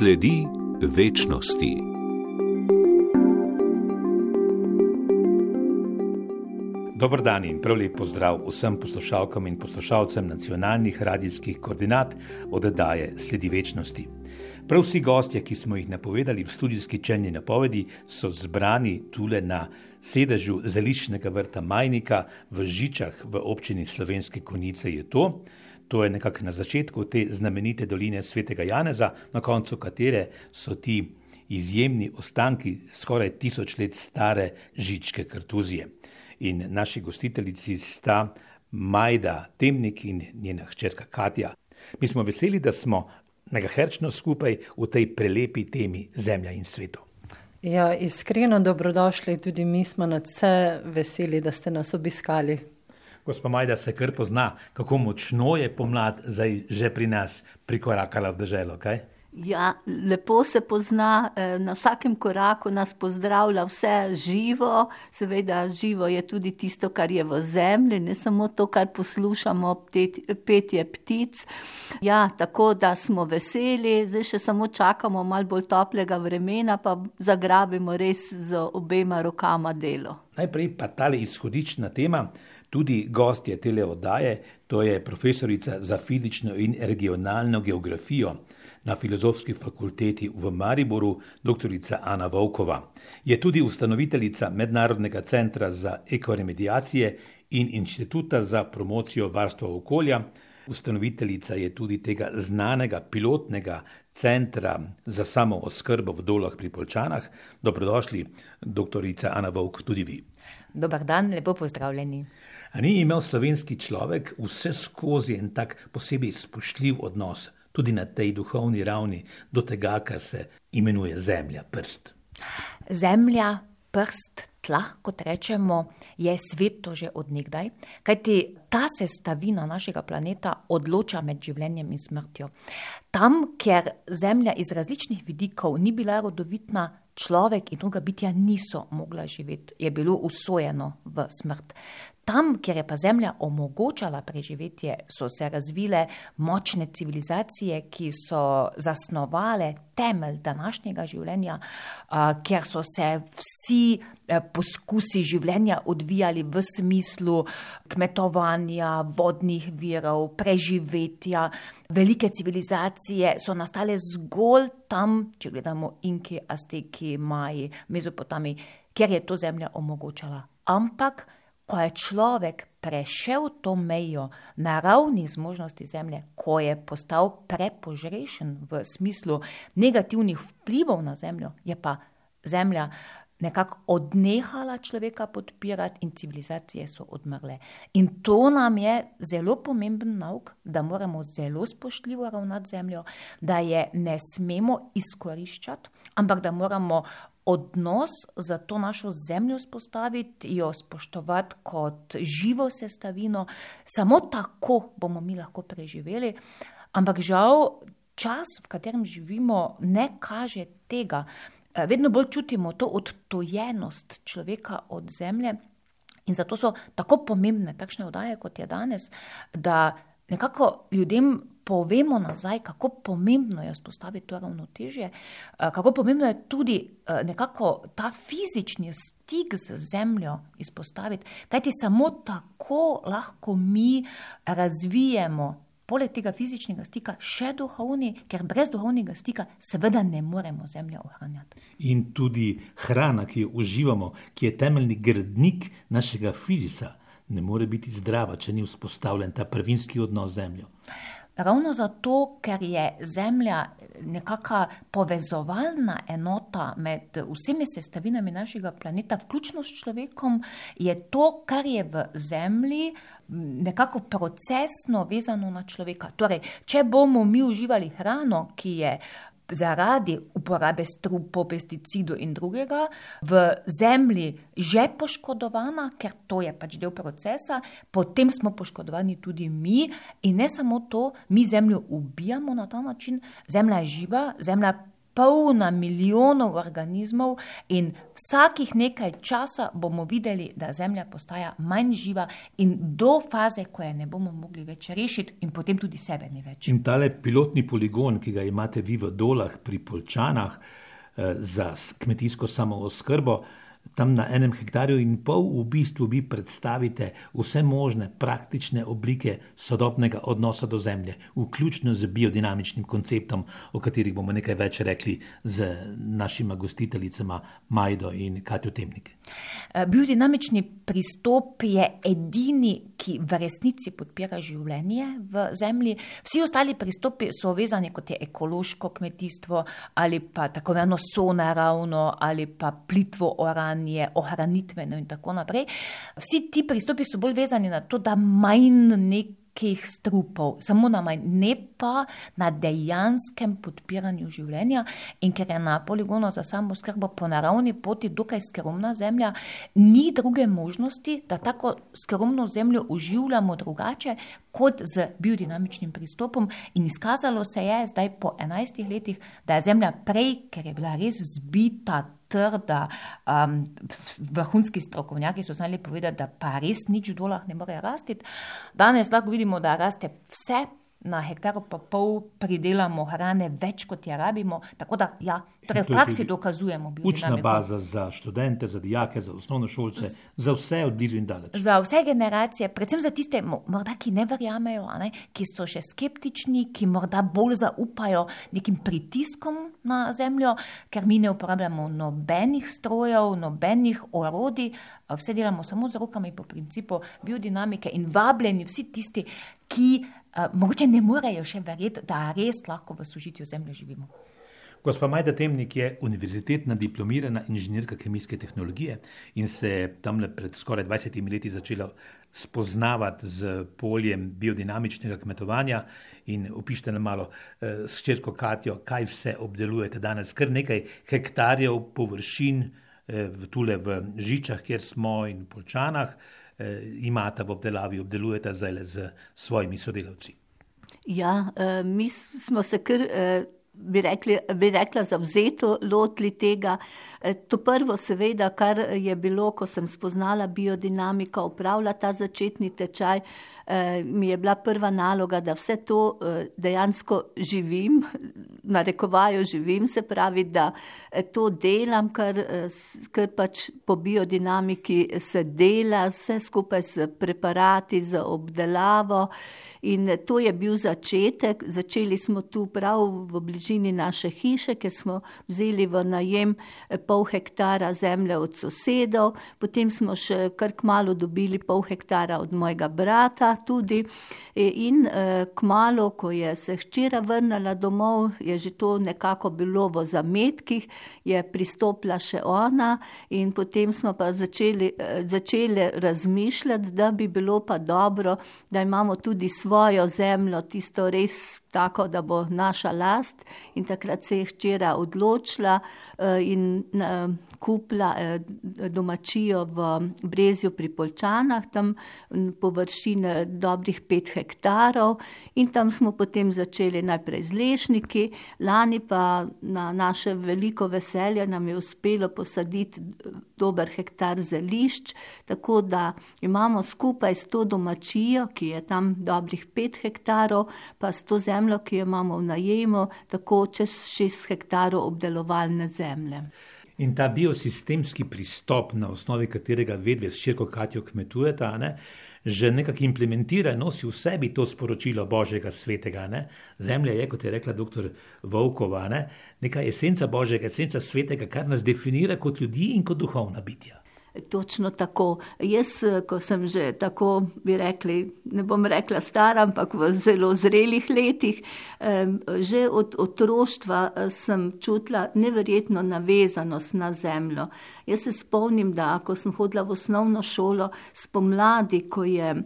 Sledi večnosti. Dober dan in prav lep pozdrav vsem poslušalkam in poslušalcem nacionalnih radijskih koordinat oddaje Sledi večnosti. Prav vsi gostje, ki smo jih napovedali v studijski čelni napovedi, so zbrani tule na sedežu zeliščnega vrta Majnika v Žičah v občini Slovenske Konjice je to. To je nekako na začetku te znamenite doline Svetega Janeza, na koncu katere so ti izjemni ostanki skoraj 1000 let stare žičke kartuzije. In naši gostiteljici sta Majda Temnik in njena hčerka Katja. Mi smo veseli, da smo megaherčno skupaj v tej prelepi temi Zemlja in sveto. Ja, iskreno dobrodošli, tudi mi smo nadvse veseli, da ste nas obiskali. Gospa Majda se kar pozna, kako močno je pomlad zdaj že pri nas prikorakala v deželo, kaj? Ja, lepo se pozna, na vsakem koraku nas pozdravlja vse živo, seveda živo je tudi tisto, kar je v zemlji, ne samo to, kar poslušamo, petje ptic. Ja, tako da smo veseli, zdaj še samo čakamo malo bolj toplega vremena, pa zagrabimo res z obema rokama delo. Najprej pa tale izhodična tema, tudi gostje tele oddaje, to je profesorica za fizično in regionalno geografijo na Filozofski fakulteti v Mariboru, doktorica Ana Volkova. Je tudi ustanoviteljica Mednarodnega centra za ekoremediacije in Inštituta za promocijo varstva okolja. Ustanoviteljica je tudi tega znanega pilotnega centra za samooskrbo v Dolah pri Poljčanah. Dobrodošli, doktorica Ana Volk, tudi vi. Dobar dan, lepo pozdravljeni. A ni imel slovenski človek vse skozi en tak posebej spoštljiv odnos, tudi na tej duhovni ravni, do tega, kar se imenuje zemlja, prst? Zemlja, prst, tla, kot rečemo, je sveto že od nekdaj, kajti ta sestavina našega planeta odloča med življenjem in smrtjo. Tam, kjer zemlja iz različnih vidikov ni bila rodovitna, človek in druga bitja niso mogla živeti, je bilo usojeno v smrt. Tam, kjer je pa zemlja omogočala preživetje, so se razvile močne civilizacije, ki so zasnovale temelj današnjega življenja, kjer so se vsi poskusi življenja odvijali v smislu kmetovanja, vodnih virov, preživetja. Velike civilizacije so nastale zgolj tam, če gledamo Inki, Azteki, Maji, Mezopotami, kjer je to zemlja omogočala. Ampak ko je človek prešel to mejo naravnih zmožnosti zemlje, ko je postal prepožrešen v smislu negativnih vplivov na zemljo, je pa zemlja nekako odnehala človeka podpirati in civilizacije so odmrle. In to nam je zelo pomemben nauk, da moramo zelo spoštljivo ravnati zemljo, da je ne smemo izkoriščati, ampak da moramo odnos za to našo zemljo spostaviti, jo spoštovati kot živo sestavino. Samo tako bomo mi lahko preživeli. Ampak žal, čas, v katerem živimo, ne kaže tega. Vedno bolj čutimo to odtojenost človeka od zemlje in zato so tako pomembne takšne oddaje, kot je danes, da nekako ljudem povemo nazaj, kako pomembno je vzpostaviti to ravnotežje, kako pomembno je tudi nekako ta fizični stik z zemljo izpostaviti, kajti samo tako lahko mi razvijemo poleg tega fizičnega stika še duhovni, ker brez duhovnega stika seveda ne moremo zemljo ohranjati. In tudi hrana, ki jo uživamo, ki je temeljni gradnik našega fizisa, ne more biti zdrava, če ni vzpostavljen ta prvinski odnos z zemljo. Ravno zato, ker je zemlja nekaka povezovalna enota med vsemi sestavinami našega planeta, vključno s človekom, je to, kar je v zemlji, nekako procesno vezano na človeka. Torej, če bomo mi uživali hrano, ki je zaradi uporabe strupov, pesticidov in drugega v zemlji že poškodovana, ker to je pač del procesa, potem smo poškodovani tudi mi in ne samo to, mi zemljo ubijamo na ta način, zemlja je živa, zemlja polna milijonov organizmov in vsakih nekaj časa bomo videli, da Zemlja postaja manj živa in do faze, ko je ne bomo mogli več rešiti in potem tudi sebe ne več. In tale pilotni poligon, ki ga imate vi v Dolah pri Poljčanah za kmetijsko samooskrbo, tam na 1,5 hektarja v bistvu vi predstavite vse možne praktične oblike sodobnega odnosa do zemlje, vključno z biodinamičnim konceptom, o katerih bomo nekaj več rekli z našima gostiteljicama Majdo in Katjo Temnik. Biodinamični pristop je edini, ki v resnici podpira življenje v zemlji. Vsi ostali pristopi so vezani, kot je ekološko kmetijstvo ali pa tako imenovano sonaravno ali pa plitvo oranje, ohranitveno in tako naprej. Vsi ti pristopi so bolj vezani na to, da manj nekih strupov, samo na manj, ne pa na dejanskem podpiranju življenja. In ker je na poligonu za samooskrbo po naravni poti dokaj skromna zemlja, ni druge možnosti, da tako skromno zemljo oživljamo drugače kot z biodinamičnim pristopom. In izkazalo se je zdaj po 11 letih, da je zemlja prej, ker je bila res zbita, trda, vrhunski strokovnjaki so znali povedati, da pa res nič v Dolah ne more rasti. Danes lahko vidimo, da raste vse, na hektar pa pol pridelamo hrane več, kot je rabimo, tako da ja, torej v praksi dokazujemo biodinamiko. Učna baza za študente, za dijake, za osnovnošolce, za vse od blizu in daleč. Za vse generacije, predvsem za tiste, morda, ki ne verjamejo, ki so še skeptični, ki morda bolj zaupajo nekim pritiskom na zemljo, ker mi ne uporabljamo nobenih strojev, nobenih orodij, vse delamo samo z rokami po principu biodinamike in vabljeni vsi tisti, ki mogoče ne morejo še verjeti, da res lahko v sožitju zemlje živimo. Gospa Majda Temnik je univerzitetna diplomirana inženirka kemijske tehnologije in se je tamle pred skoraj 20 leti začela spoznavati z poljem biodinamičnega kmetovanja. In opišite nam malo s hčerko Katjo, kaj vse obdelujete danes. Kar nekaj hektarjev površin tule v Žičah, kjer smo, in v Poljčanah, imate v obdelavi, obdelujete zdaj z svojimi sodelavci. Ja, mi smo se kar, bi rekla, zavzeto lotili tega. To prvo seveda, kar je bilo, ko sem spoznala biodinamiko, opravila ta začetni tečaj, mi je bila prva naloga, da vse to dejansko živim, narekovajo živim, se pravi, da to delam, kar pač po biodinamiki se dela, vse skupaj s preparati, z obdelavo. In to je bil začetek. Začeli smo tu prav v bližini naše hiše, ker smo vzeli v najem 0,5 hektara zemlje od sosedov, potem smo še kar kmalu dobili 0,5 hektara od mojega brata tudi. In kmalu, ko je se hčera vrnila domov, je že to nekako bilo v zametkih, je pristopila še ona in potem smo pa začeli razmišljati, da bi bilo pa dobro, da imamo tudi svojo zemljo, tisto res tako, da bo naša last. In takrat se je hčera odločila in kupila domačijo v Brezju pri Poljčanah, tam površine dobrih 5 hektarov in tam smo potem začeli najprej z lešniki, lani pa na naše veliko veselje nam je uspelo posaditi dober hektar zelišč, tako da imamo skupaj s to domačijo, ki je tam dobrih 5 hektarov, pa s to zemljo, ki jo imamo v najemu, tako čez 6 hektarov obdelovalne zemlje. In ta biosistemski pristop, na osnovi katerega vedve s hčerko Katjo kmetujeta, že nekako implementira, nosi v sebi to sporočilo Božjega svetega. Zemlja je, kot je rekla dr. Volkova, neka esenca Božjega, esenca svetega, kar nas definira kot ljudi in kot duhovna bitja. Točno tako. Jaz, ko sem že tako, bi rekli, ne bom rekla stara, ampak v zelo zrelih letih, že od otroštva sem čutila neverjetno navezanost na zemljo. Jaz se spomnim, da ko sem hodila v osnovno šolo spomladi, ko je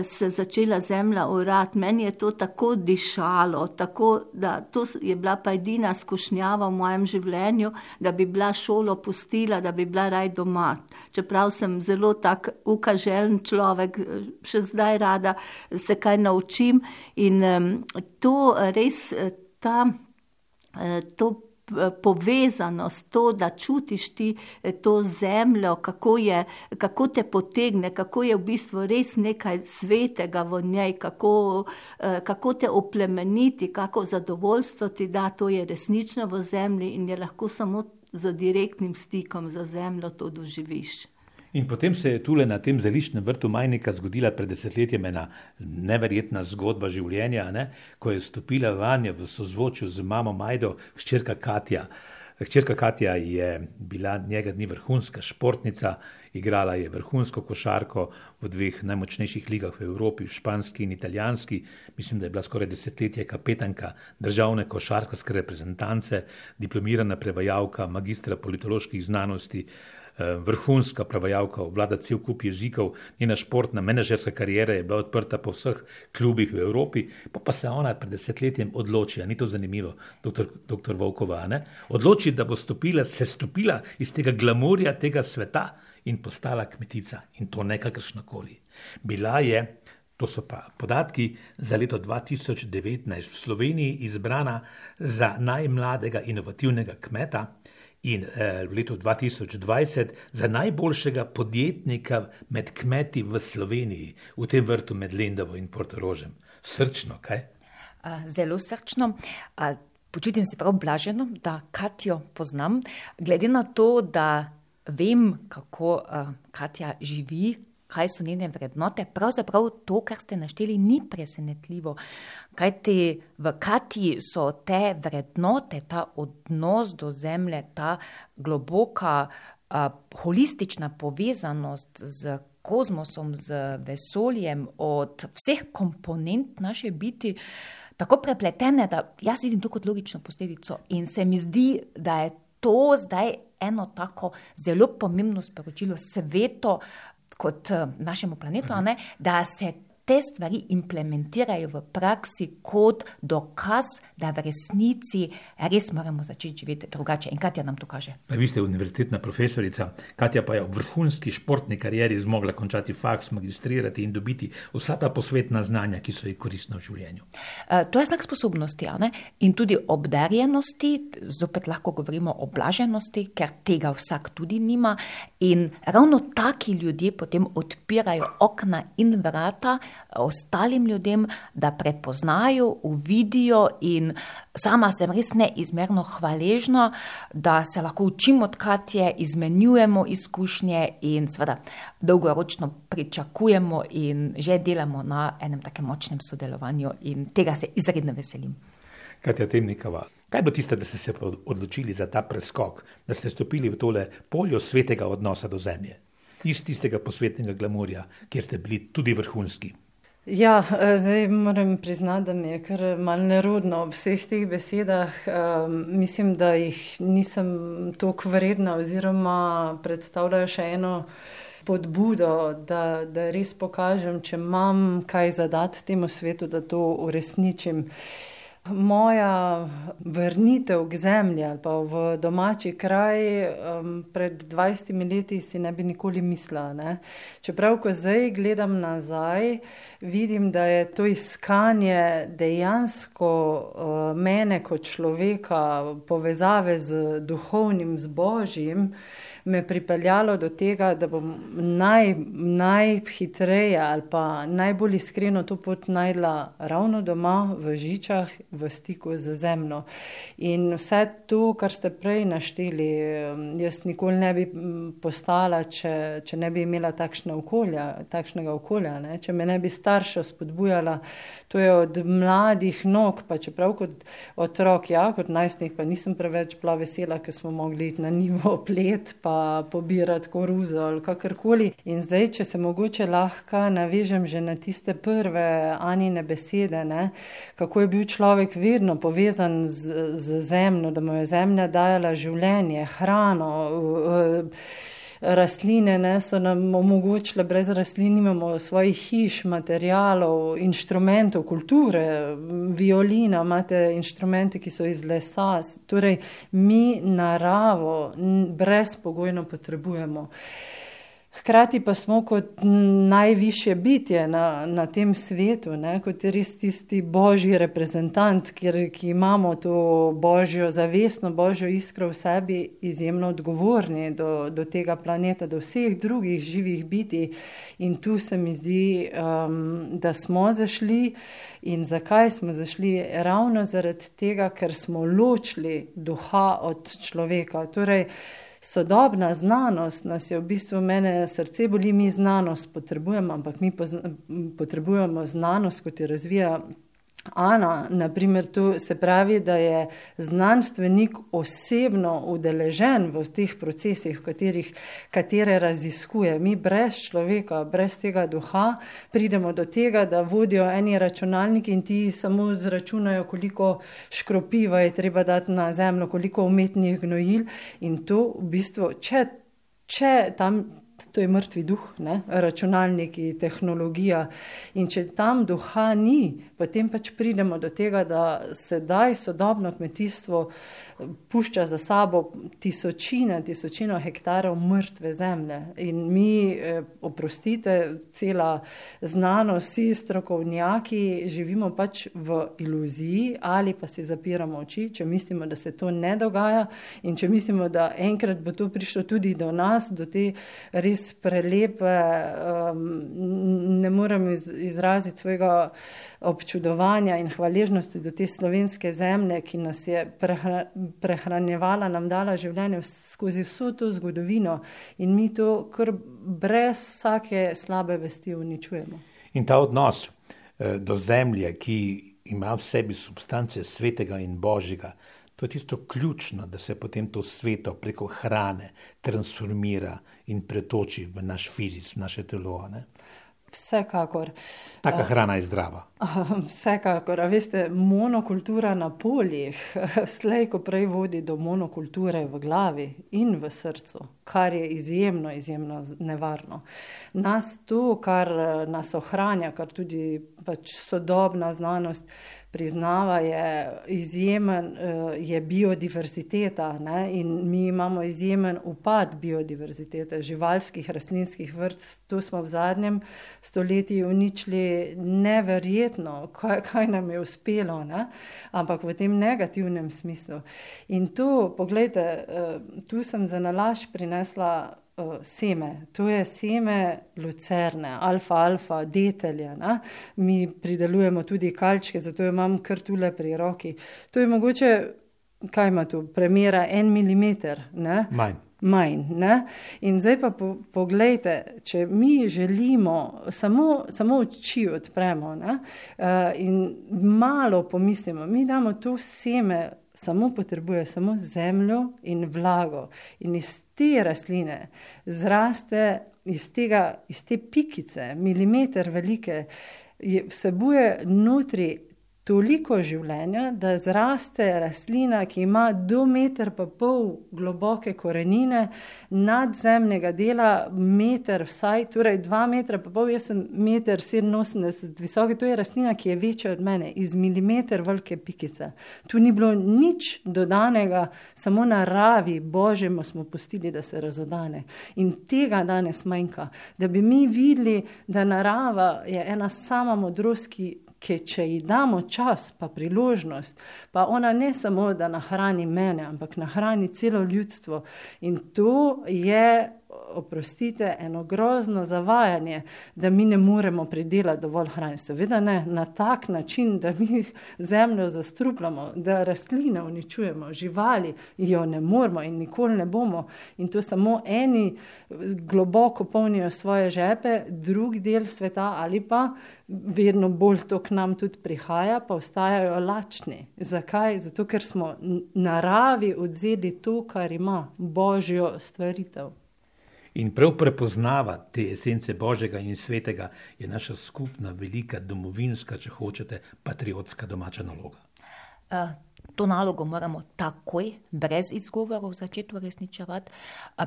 se začela zemlja orati, meni je to tako dišalo, tako da to je bila pa edina skušnjava v mojem življenju, da bi bila šolo pustila, da bi bila raj doma. Čeprav sem zelo tak ukaželjen človek, še zdaj rada se kaj naučim in to res, to povezanost, to, da čutiš ti to zemljo, kako te potegne, kako je v bistvu res nekaj svetega v njej, kako te oplemeniti, kako zadovoljstvo ti da, to je resnično v zemlji in je lahko samo z direktnim stikom za zemljo to doživiš. In potem se je tule na tem zeliščnem vrtu Majnika zgodila pred desetletjem ena neverjetna zgodba življenja, ne? Ko je stopila vanje v sozvočju z mamo Majdo hčerka Katja. Hčerka Katja je bila njega dni vrhunska športnica, igrala je vrhunsko košarko v 2 najmočnejših ligah v Evropi, v španski in italijanski. Mislim, da je bila skoraj desetletje kapetanka državne košarkarske reprezentance, diplomirana prevajalka, magistra politoloških znanosti, vrhunska prevajalka, obvlada cel kup jezikov, njena športna menedžerska karijera je bila odprta po vseh klubih v Evropi, pa se ona pred desetletjem odloči, ni to zanimivo, doktor Volkova, ne? Odloči, da bo se stopila iz tega glamurja, tega sveta in postala kmetica, in to nekakršnakoli. Bila je, to so pa podatki, za leto 2019 v Sloveniji izbrana za najmladega inovativnega kmeta in v letu 2020 za najboljšega podjetnika med kmeti v Sloveniji, v tem vrtu med Lendovo in Portorožem. Srčno, kaj? Zelo srčno. Počutim se prav blaženo, da Katjo poznam. Glede na to, da vem, kako Katja živi, kaj so njene vrednote, pravzaprav to, kar ste našteli, ni presenetljivo. Kajti v Katji so te vrednote, ta odnos do zemlje, ta globoka holistična povezanost z kozmosom, z vesoljem, od vseh komponent naše biti, tako prepletene, da jaz vidim to kot logično posledico. In se mi zdi, da je to zdaj eno tako zelo pomembno sporočilo svetu, kot našemu planetu, da se te stvari implementirajo v praksi kot dokaz, da v resnici res moramo začeti živeti drugače. In Katja nam to kaže. Vi ste univerzitetna profesorica, Katja pa je v vrhunski športni karieri zmogla končati faks, magistrirati in dobiti vsa ta posvetna znanja, ki so ji koristna v življenju. To je znak sposobnosti, in tudi obdarjenosti, zopet lahko govorimo o blaženosti, ker tega vsak tudi nima. In ravno taki ljudje potem odpirajo okna in vrata ostalim ljudem, da prepoznajo, uvidijo, in sama sem res neizmerno hvaležna, da se lahko učim od Katje, izmenjujemo izkušnje in seveda dolgoročno pričakujemo in že delamo na enem takem močnem sodelovanju in tega se izredno veselim. Katja Temnikova, kaj bo tiste, da ste se odločili za ta preskok, da ste stopili v tole polje svetega odnosa do zemlje, iz tistega posvetnega glamurja, kjer ste bili tudi vrhunski? Ja, zdaj moram priznati, da mi je kar malo nerodno ob vseh teh besedah. Mislim, da jih nisem toliko vredna oziroma predstavljajo še eno podbudo, da res pokažem, če imam kaj zadati temu svetu, da to uresničim. Moja vrnitev k zemlji ali pa v domači kraj pred 20 leti si ne bi nikoli mislila, ne. Čeprav, ko zdaj gledam nazaj, vidim, da je to iskanje dejansko mene kot človeka, povezave z duhovnim, z Božjim, me pripeljalo do tega, da bom najhitreje ali pa najbolj iskreno to pot najdla ravno doma, v Žičah, v stiku z zemljo. In vse to, kar ste prej našteli, jaz nikoli ne bi postala, če ne bi imela takšnega okolja, ne? Če me ne bi starša spodbujala. To je od mladih nog, pa čeprav kot otrok, kot najstnik, pa nisem preveč bila vesela, ker smo mogli iti na nivo plet, pa pobirati koruzo ali kakorkoli. In zdaj, če se mogoče lahko navežem že na tiste prve Anine besede, ne, kako je bil človek vedno povezan z zemljo, da mu je zemlja dajala življenje, hrano, rastline, ne, so nam omogočile, brez rastlin nimamo svojih hiš, materialov, inštrumentov, kulture, violina, imate inštrumente, ki so iz lesa. Torej, mi naravo brezpogojno potrebujemo. Hkrati pa smo kot najvišje bitje na tem svetu, ne, kot res tisti božji reprezentant, ki imamo to božjo zavestno, božjo iskro v sebi, izjemno odgovorni do tega planeta, do vseh drugih živih bitij. In tu se mi zdi, da smo zašli. In zakaj smo zašli? Ravno zaradi tega, ker smo ločili duha od človeka. Torej, sodobna znanost nas je v bistvu, mene srce boli, mi znanost potrebujemo, ampak mi potrebujemo znanost, kot jo razvija Ana. Naprimer, to se pravi, da je znanstvenik osebno udeležen v teh procesih, katere raziskuje. Mi brez človeka, brez tega duha pridemo do tega, da vodijo eni računalniki in ti samo zračunajo, koliko škropiva je treba dati na zemljo, koliko umetnih gnojil, in to v bistvu, če tam, to je mrtvi duh, ne? Računalniki, tehnologija, in če tam duha ni, potem pač pridemo do tega, da sedaj sodobno kmetijstvo pušča za sabo tisočino hektarov mrtve zemlje. In mi, oprostite, cela znanost, vsi strokovnjaki živimo pač v iluziji ali pa si zapiramo oči, če mislimo, da se to ne dogaja, in če mislimo, da enkrat bo to prišlo tudi do nas, do te res prelepe, ne morem izraziti svojega občudovanja in hvaležnosti do te slovenske zemlje, ki nas je prehranjevala, nam dala življenje skozi vso to zgodovino, in mi to kar brez vsake slabe vesti uničujemo. In ta odnos do zemlje, ki ima v sebi substance svetega in božjega, to je tisto ključno, da se potem to sveto preko hrane transformira in pretoči v naš fizic, v naše telo, ne? Vsekakor. Taka hrana je zdrava. Vsekakor. A veste, monokultura na poljih slej ko prej vodi do monokulture v glavi in v srcu, kar je izjemno nevarno. Nas to, kar nas ohranja, kar tudi pač sodobna znanost priznava, je biodiverziteta, ne? In mi imamo izjemen upad biodiverzitete, živalskih, rastlinskih vrst. To smo v zadnjem stoletju uničili neverjetno, kaj nam je uspelo, ne? Ampak v tem negativnem smislu. In tu, poglejte, tu sem za nalašč prinesla seme. To je seme lucerne, alfa, detelja, ne? Mi pridelujemo tudi kalčke, zato jo imam kar tule pri roki. To je mogoče, kaj ima tu, premera 1 milimeter, ne? Manj, ne? In zdaj pa poglejte, če mi želimo, samo oči odpremo, ne? In malo pomislimo, mi damo to seme, potrebuje samo zemljo in vlago. In iz te rastline zraste, iz te pikice, milimeter velike, vsebuje notri toliko življenja, da zraste rastlina, ki ima do 1,5 metra globoke korenine, nadzemnega dela meter vsaj, torej 2,5 metra, jaz sem 1,87 metra visoki, to je rastlina, ki je večja od mene, iz milimeter velike pikice. Tu ni bilo nič dodanega, samo naravi Božjemu smo pustili, da se razodane. In tega danes manjka, da bi mi videli, da narava je ena sama modrost, ki če ji damo čas pa priložnost, pa ona ne samo, da nahrani mene, ampak nahrani celo ljudstvo. In to je, oprostite, eno grozno zavajanje, da mi ne moremo pridelati dovolj hrane. Seveda ne, na tak način, da mi zemljo zastrupljamo, da rastline uničujemo, živali jo ne moremo in nikoli ne bomo. In to samo eni globoko polnijo svoje žepe, drug del sveta ali pa vedno bolj to k nam tudi prihaja, pa ostajajo lačni. Zakaj? Zato, ker smo naravi odzeli to, kar ima, božjo stvaritev. In prav prepoznava te esence božjega in svetega je naša skupna, velika, domovinska, če hočete, patriotska domača naloga. To nalogo moramo takoj, brez izgovorov, začeti uresničevati.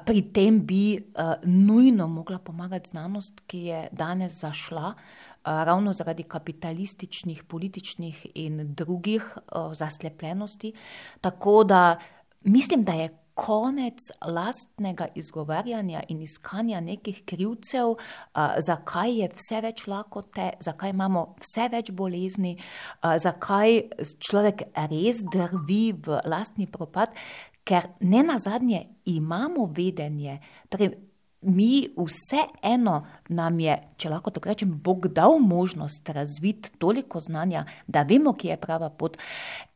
Pri tem bi nujno mogla pomagati znanost, ki je danes zašla, ravno zaradi kapitalističnih, političnih in drugih zaslepljenosti. Tako da mislim, da je konec lastnega izgovarjanja in iskanja nekih krivcev, zakaj je vse več lakote, zakaj imamo vse več bolezni, zakaj človek res drvi v lastni propad, ker ne nazadnje imamo vedenje, torej mi vseeno nam je, če lahko tako rečem, Bog dal možnost razviti toliko znanja, da vemo, kje je prava pot.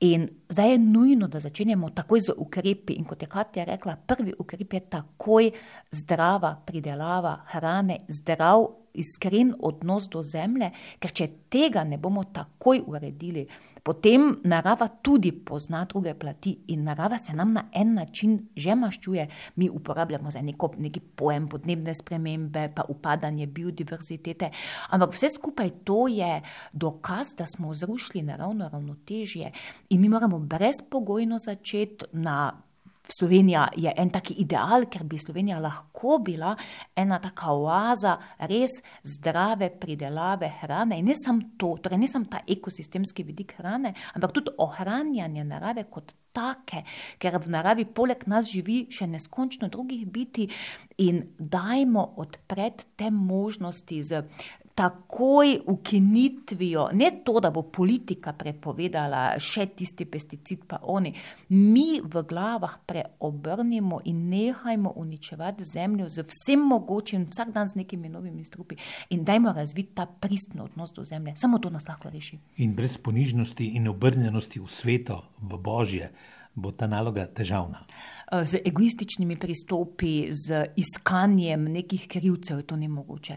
In zdaj je nujno, da začenjamo takoj z ukrepi. In kot je Katja rekla, prvi ukrep je takoj zdrava pridelava hrane, zdrav, iskren odnos do zemlje, ker če tega ne bomo takoj uredili, potem narava tudi pozna druge plati in narava se nam na en način že maščuje. Mi uporabljamo za neki pojem podnebne spremembe, pa upadanje biodiverzitete, ampak vse skupaj to je dokaz, da smo zrušili naravno ravnotežje in mi moramo brezpogojno začeti na Slovenija je en taki ideal, ker bi Slovenija lahko bila ena taka oaza res zdrave pridelave hrane. In ne samo to, torej ne samo ta ekosistemski vidik hrane, ampak tudi ohranjanje narave kot take, ker v naravi poleg nas živi še neskončno drugih biti in dajmo odpreti te možnosti z takoj ukinitvijo, ne to, da bo politika prepovedala še tisti pesticid pa oni, mi v glavah preobrnimo in nehajmo uničevati zemljo z vsem mogočim, vsak dan z nekimi novimi strupi in dajmo razviti ta pristni odnos do zemlje. Samo to nas lahko reši. In brez ponižnosti in obrnjenosti v sveto, v Božje, bo ta naloga težavna. Z egoističnimi pristopi, z iskanjem nekih krivcev je to nemogoče.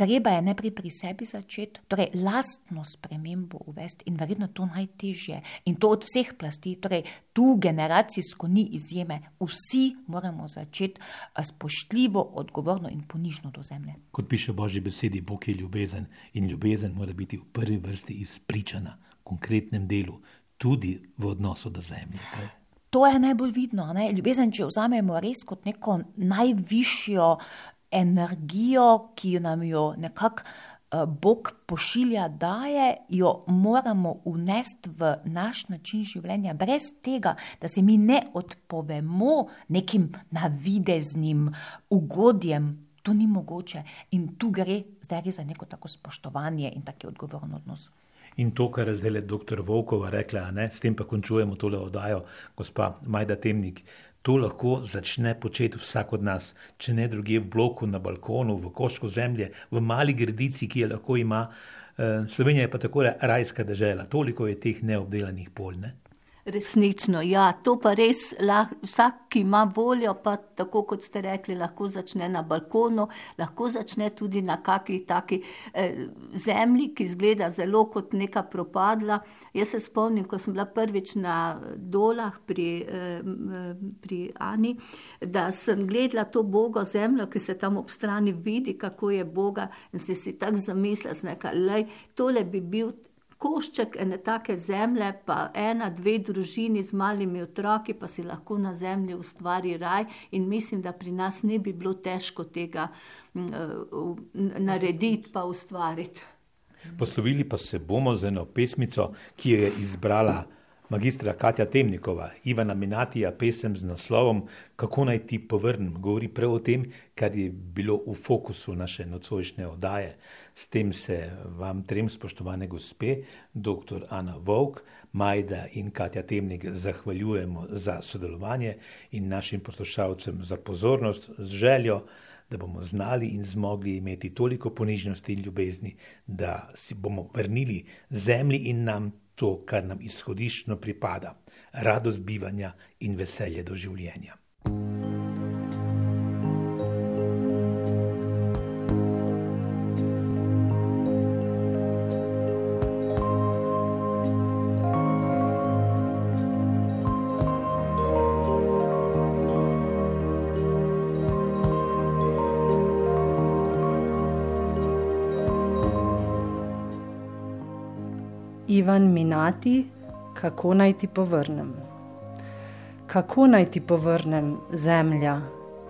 Treba je najprej pri sebi začeti, torej lastno spremembo uvesti in verjetno to najtežje. In to od vseh plasti, torej tu generacijsko ni izjeme. Vsi moramo začeti spoštljivo, odgovorno in ponižno do zemlje. Kot piše v Božji besedi, Bog je ljubezen in ljubezen mora biti v prvi vrsti izpričana v konkretnem delu, tudi v odnosu do zemlje. To je najbolj vidno, ne? Ljubezen, če vzamemo res kot neko najvišjo energijo, ki nam jo nekako Bog pošilja, daje, jo moramo vnesti v naš način življenja. Brez tega, da se mi ne odpovemo nekim navideznim ugodjem, to ni mogoče. In tu gre zdaj za neko tako spoštovanje in taki odgovoren odnos. In to, kar je zdaj dr. Volkova rekla, s tem pa končujemo tole oddajo, gospa Majda Temnik, to lahko začne početi vsak od nas, če ne drugje v bloku, na balkonu, v koščku zemlje, v mali gredici, ki je lahko ima. Slovenija je pa tako rajska dežela, toliko je teh neobdelanih polj, ne? Resnično, ja, to pa res vsak, ki ima voljo, pa tako kot ste rekli, lahko začne na balkonu, lahko začne tudi na kakšni taki zemlji, ki izgleda zelo kot neka propadla. Jaz se spomnim, ko sem bila prvič na Dolah pri Ani, da sem gledala to bogo zemljo, ki se tam ob strani vidi, kako je boga, in sem si tako zamislila, tole bi bil košček ene take zemlje, pa 1-2 družini z malimi otroki, pa si lahko na zemlji ustvari raj in mislim, da pri nas ne bi bilo težko tega narediti pa ustvariti. Poslovili pa se bomo z eno pesmico, ki jo je izbrala magistra Katja Temnikova, Ivana Minatija, pesem z naslovom Kako naj ti povrnem, govori prav o tem, kar je bilo v fokusu naše nocojšnje oddaje. S tem se vam trem, spoštovane gospe, dr. Ana Volk, Majda in Katja Temnik, zahvaljujemo za sodelovanje in našim poslušalcem za pozornost, z željo, da bomo znali in zmogli imeti toliko ponižnosti in ljubezni, da si bomo vrnili zemlji in nam to, kar nam izhodiščno pripada, radost bivanja in veselje do življenja. Ivan Minati, Kako naj ti povrnem. Kako naj ti povrnem, zemlja,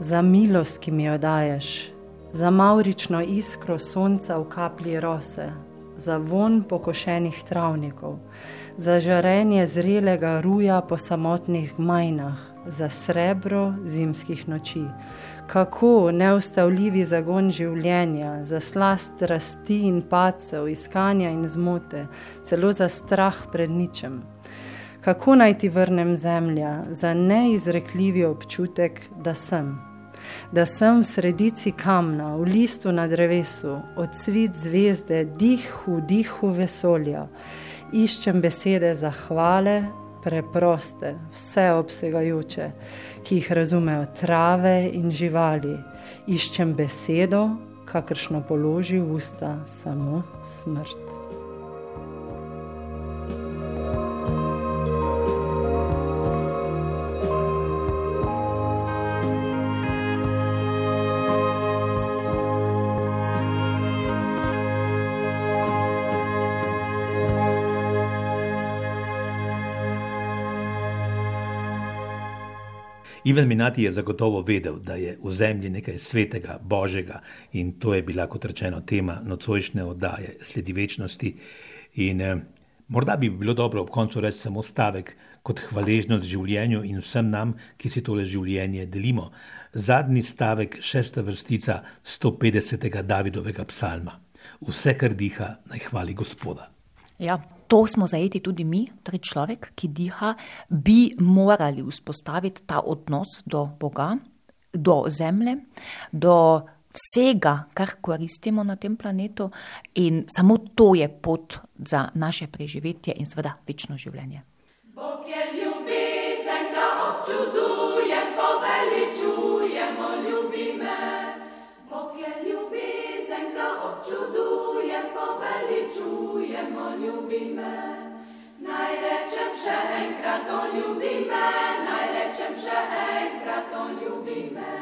za milost, ki mi jo daješ, za mavrično iskro sonca v kaplji rose, za vonj pokošenih travnikov, za žarenje zrelega ruja po samotnih gmajnah, za srebro zimskih noči. Kako neustavljivi zagon življenja, za slast rasti in padcev, iskanja in zmote, celo za strah pred ničem. Kako naj ti vrnem zemlja, za neizrekljivi občutek, da sem. Da sem v sredici kamna, v listu na drevesu, odsvit zvezde, dih v dihu vesolja. Iščem besede zahvale, preproste, vseobsegajoče, ki jih razumejo trave in živali. Iščem besedo, kakršno položi v usta samo smrt. Ivan Minati je zagotovo vedel, da je v zemlji nekaj svetega, božjega, in to je bila, kot rečeno, tema nocojšnje oddaje Sledi večnosti. In morda bi bilo dobro ob koncu reči samo stavek kot hvaležnost življenju in vsem nam, ki si tole življenje delimo. Zadnji stavek, 6. vrstica 150. Davidovega psalma. Vse, kar diha, naj hvali Gospoda. Ja, to smo zajeti tudi mi, torej človek, ki diha, bi morali vzpostaviti ta odnos do Boga, do zemlje, do vsega, kar koristimo na tem planetu, in samo to je pot za naše preživetje in seveda večno življenje. Bog je ljubezen, ga občudujem, poveličujemo, ljubi me. Bog je ljubezen, ga občudujem, poveličujemo, ljubi me. Naj rečem še enkrat, on ljubi me, naj rečem še enkrat, on ljubi me.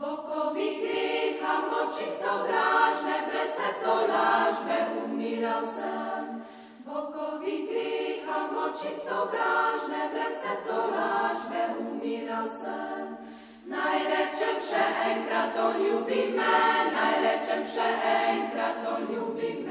Vokovi greha, moči sovražne, brez tolažbe umiral sem. Vokovi greha, moči sovražne, brez tolažbe umiral sem. Naj rečem še enkrat, on ljubi me, naj rečem še enkrat, on ljubi me.